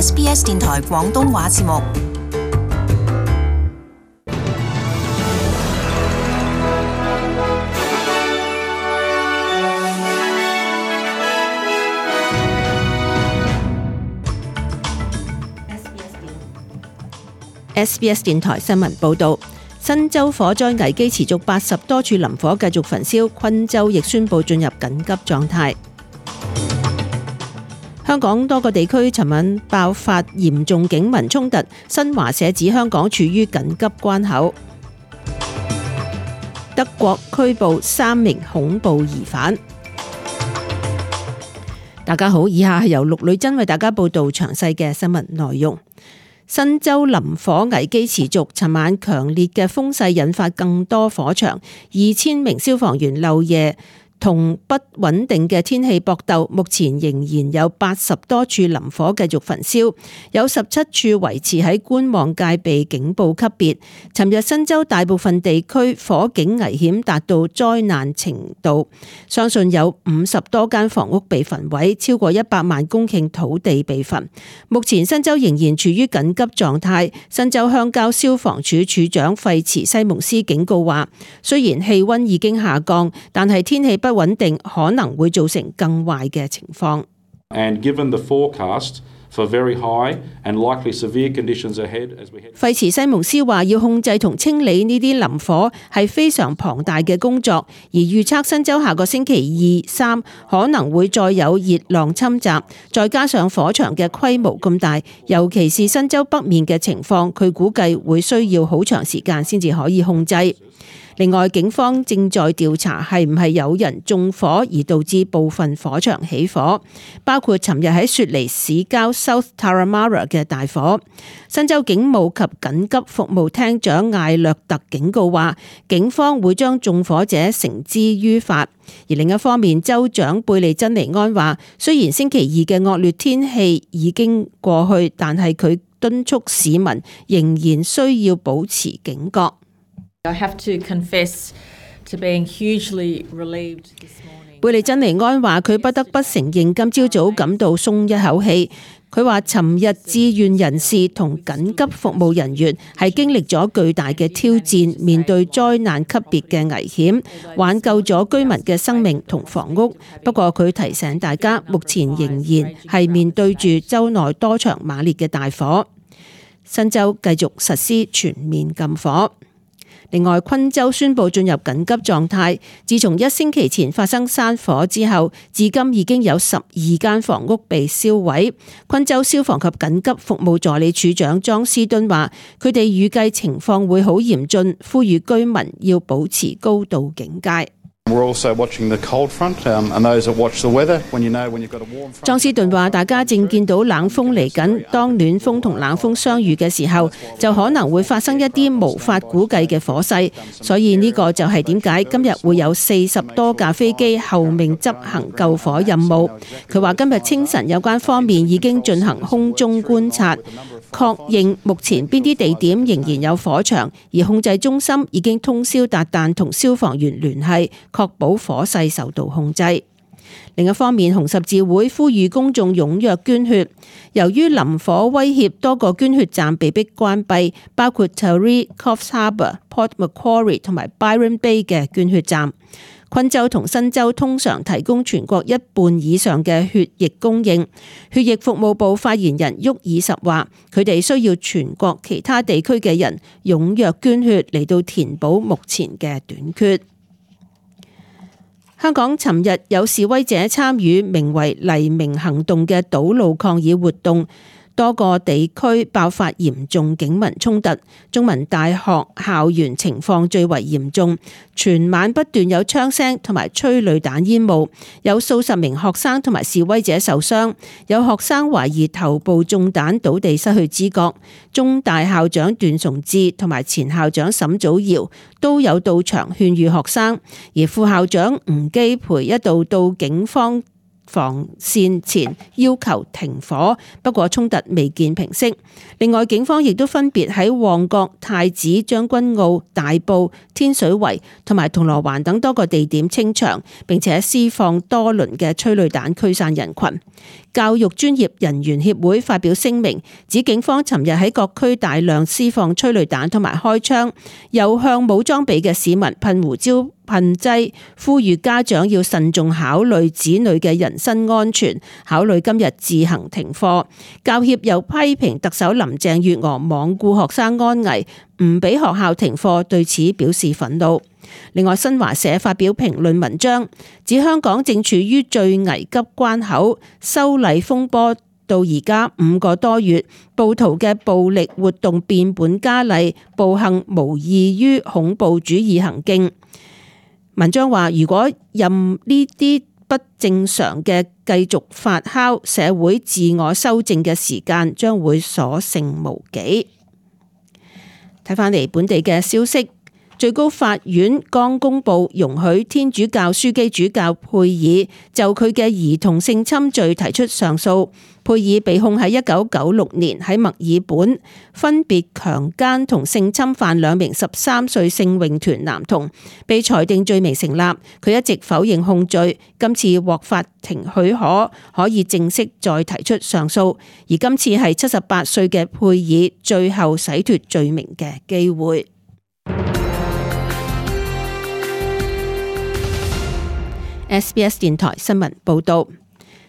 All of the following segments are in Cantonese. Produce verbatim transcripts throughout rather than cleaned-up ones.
S B S 電台廣東話節目。S B S 電台新聞報導，新州火災危機持續，八十多處林火繼續焚燒，昆州亦宣布進入緊急狀態。香港多個地區尋晚爆發嚴重警民衝突，新華社指香港處於緊急關口。德國拘捕三名恐怖疑犯。大家好，以下係由陸女真為大家報道詳細嘅新聞內容。新州林火危機持續，尋晚強烈嘅風勢引發更多火場，二千名消防員漏夜同不穩定嘅天氣搏鬥，目前仍然有八十多處林火繼續焚燒，有十七處維持喺觀望戒備警報級別。尋日新州大部分地區火警危險達到災難程度，相信有五十多間房屋被焚毀，超過一百萬公頃土地被焚。目前新州仍然處於緊急狀態。新州鄉郊消防處處長費茨西蒙斯警告話，雖然氣溫已經下降，但係天氣不不穩定可能會造成更壞嘅情況。And given the forecast for very high and likely severe conditions ahead as we head。費茨西蒙斯話，要控制同清理呢啲林火係非常龐大嘅工作，而預測新州下個星期二、三可能會再有熱浪侵襲，再加上火場嘅規模咁大，尤其是新州北面嘅情況，佢估計會需要好長時間先至可以控制。另外，警方正在調查係唔係有人縱火而導致部分火場起火，包括尋日喺雪梨市郊 South Turramurra 嘅大火。新州警務及緊急服務廳長艾略特警告話，警方會將縱火者繩之於法。而另一方面，州長貝利珍尼安話，雖然星期二嘅惡劣天氣已經過去，但係佢敦促市民仍然需要保持警覺。I have to confess to being hugely relieved this morning. 貝利珍尼安話，佢不得不承認今朝早感到鬆一口氣。佢話尋日志願人士同緊急服務人員係經歷咗巨大嘅挑戰，面對災難級別嘅危險，挽救咗居民嘅生命同房屋。不過佢提醒大家，目前仍然係面對住州內多場猛烈嘅大火。新州繼續實施全面禁火。另外，昆州宣布進入緊急狀態。自從一星期前發生山火之後，至今已經有十二間房屋被燒毀。昆州消防及緊急服務助理處長莊斯敦話，佢哋預計情況會好嚴峻，呼籲居民要保持高度警戒。莊斯頓話，大家正見到冷風嚟緊，當暖風同冷風相遇嘅時候，就可能會發生一啲無法估計嘅火勢，所以呢個就係點解今日會有四十多架飛機候命執行救火任務。佢話今日清晨有關方面已經進行空中觀察，確認目前邊啲地點仍然有火場，而控制中心已經通宵達旦同消防員聯繫，確保火勢受到控制。另一方面，紅十字會呼籲公眾踴躍捐血。由於林火威脅，多個捐血站被迫關閉，包括 Taree、Coffs Harbour、Port Macquarie 同埋 Byron Bay 嘅捐血站。昆州同新州通常提供全國一半以上嘅血液供應。血液服務部發言人沃爾什話，佢哋需要全國其他地區嘅人踴躍捐血嚟到填補目前嘅短缺。香港尋日有示威者參與名為黎明行動嘅堵路抗議活動，多個地區爆發嚴重警民衝突，中文大學校園情況最為嚴重，全晚不斷有槍聲同埋催淚彈煙霧，有數十名學生同埋示威者受傷，有學生懷疑頭部中彈倒地失去知覺。中大校長段崇智同埋前校長沈祖堯都有到場勸喻學生，而副校長吳基培一度到警方防線前要求停火，不過衝突未見平息。另外，警方亦都分別喺旺角、太子、將軍澳、大埔、天水圍同埋銅鑼灣等多個地點清場，並且施放多輪嘅催淚彈驅散人群。教育專業人員協會發表聲明，指警方尋日喺各區大量施放催淚彈同埋開槍，又向冇裝備嘅市民噴胡椒噴劑，呼籲家長要慎重考慮子女嘅人身安全，考慮今日自行停課。教協又批評特首林鄭月娥罔顧學生安危，唔俾學校停課，對此表示憤怒。另外，新華社發表評論文章，指香港正處於最危急關口，修例風波到而家五個多月，暴徒嘅暴力活動變本加厲，暴行無異於恐怖主義行徑。文章話，如果任呢啲不正常嘅繼續發酵，社會自我修正嘅時間將會所剩無幾。睇返嚟本地嘅消息。最高法院剛公布容許天主教樞機主教佩爾就佢嘅兒童性侵罪提出上訴。佩爾被控喺一九九六年喺墨爾本分別強姦同性侵犯兩名十三歲聖詠團男童，被裁定罪名成立。佢一直否認控罪，今次獲法庭許可，可以正式再提出上訴。而今次係七十八歲嘅佩爾最後洗脫罪名嘅機會。S B S 電台新聞報道，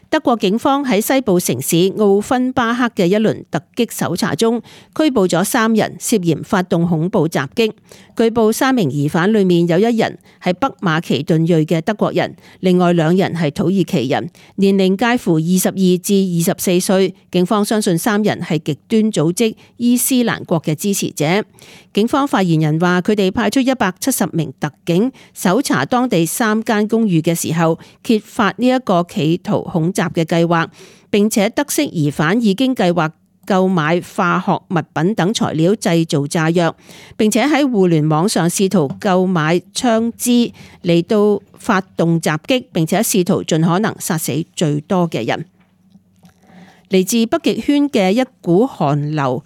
德國警方喺西部城市奧芬巴克嘅一輪突擊搜查中，拘捕咗三人，涉嫌發動恐怖襲擊。據報三名疑犯裏面有一人係北馬其頓裔嘅德國人，另外兩人係土耳其人，年齡介乎二十二至二十四歲。警方相信三人係極端組織伊斯蘭國嘅支持者。警方發言人話，佢哋派出一百七十名特警搜查當地三間公寓嘅時候，揭發呢一個企圖恐襲嘅計劃，並且得悉疑犯已經計劃購買化學物品等材料製造炸藥，並且喺互聯網上試圖購買槍支嚟到發動襲擊，並且試圖盡可能殺死最多嘅人。嚟自北極圈嘅一股寒流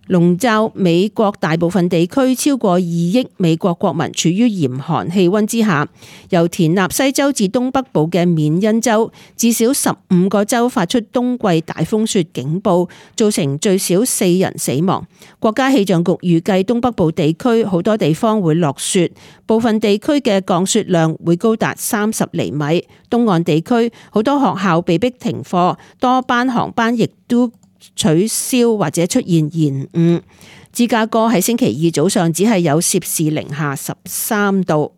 籠罩美國大部分地區，超過二億美國國民處於嚴寒氣溫之下。由田納西州至東北部嘅緬因州，至少十五個州發出冬季大風雪警報，造成最少四人死亡。國家氣象局預計東北部地區好多地方會落雪，部分地區嘅降雪量會高達三十厘米。東岸地區好多學校被迫停課，多班航班亦都取消或者出現延誤。芝加哥喺星期二早上只係有攝氏零下十三度。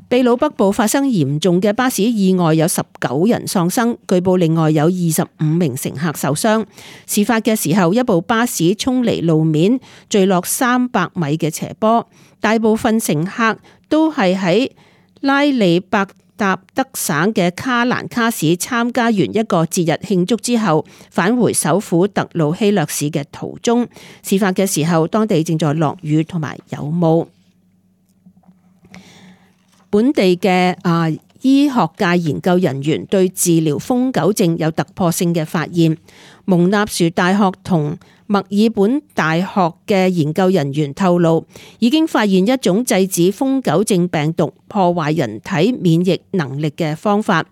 秘魯北部發生嚴重嘅巴士意外，有十九人喪生，據報另外有二十五名乘客受傷。事發嘅時候，一部巴士衝離路面，墜落三百米嘅斜坡，大部分乘客都係喺拉里伯達德省嘅卡蘭卡市參加完一個節日慶祝之後，返回首府特魯希略市嘅途中。事發嘅時候，當地正在落雨同埋有霧。本地嘅啊醫學界研究人員對治療瘋狗症有突破性嘅發現。蒙納殊大學同墨爾本大學嘅研究人員透露，已經發現一種制止瘋狗症病毒破壞人體免疫能力嘅方法，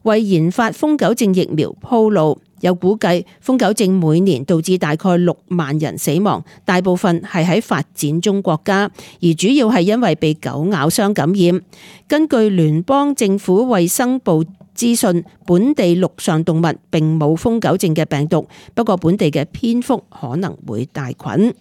為研發瘋狗症疫苗鋪路。有估計瘋狗症每年導致大概六萬人死亡，大部分係喺發展中國家，而主要係因為被狗咬傷感染。根據聯邦政府衛生部資訊，本地陸上動物並冇瘋狗症嘅病毒，不過本地嘅蝙蝠可能會帶菌。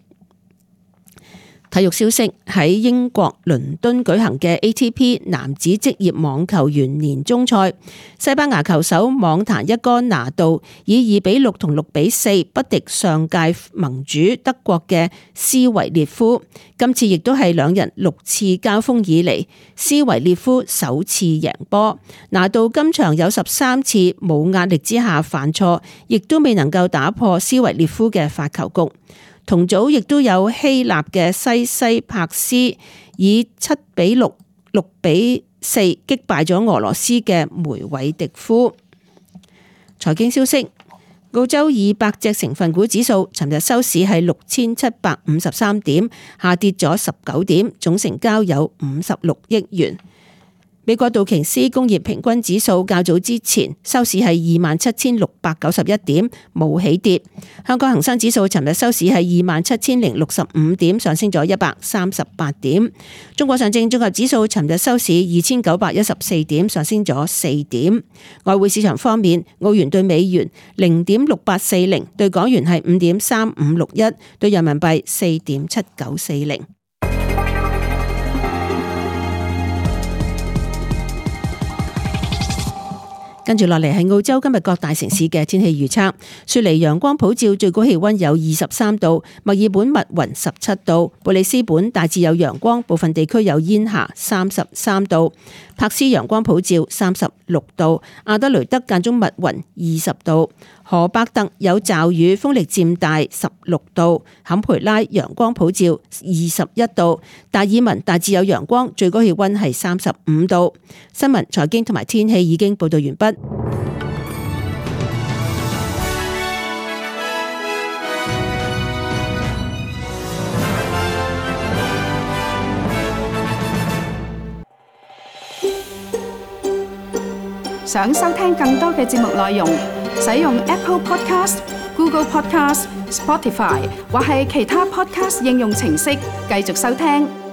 體育消息，喺英國倫敦舉行嘅 A T P 男子職業網球員年終賽，西班牙球手網壇一哥拿度以二比六同六比四不敵上屆盟主德國嘅斯維列夫。今次亦都係兩人六次交鋒以嚟，斯維列夫首次贏波。拿度今場有十三次冇壓力之下犯錯，亦都未能夠打破斯維列夫嘅發球局。同組亦都有希臘嘅西西帕斯以七比六六比四擊敗咗俄羅斯嘅梅韋迪夫。財經消息。澳洲二百隻成分股指數尋日收市係六千七百五十三點，下跌咗十九點，總成交有五十六億元。美國道瓊斯工業平均指數較早之前收市係二萬七千六百九十一點，冇起跌。香港恒生指數尋日收市係二萬七千零六十五點，上升咗一百三十八點。中國上證綜合指數尋日收市二千九百一十四點，上升咗四點。外匯市場方面，澳元對美元零點六八四零，對港元係五點三五六一，對人民幣四點七九四零。跟住落嚟係澳洲今日各大城市嘅天氣預測。雪梨陽光普照，最高氣溫有二十三度；墨爾本密雲十七度；布里斯本大致有陽光，部分地區有煙霞，三十三度；柏斯陽光普照，三十六度；阿德雷德間中密雲，二十度；荷伯特有驟雨，風力漸大，十六度；坎培拉陽光普照，二十一度；達爾文大致有陽光，最高氣溫係三十五度。新聞、財經同埋天氣已經報道完畢。想收聽更多嘅節目內容，使用 Apple Podcast、Google Podcast、Spotify 或係其他 Podcast 應用程式繼續收聽。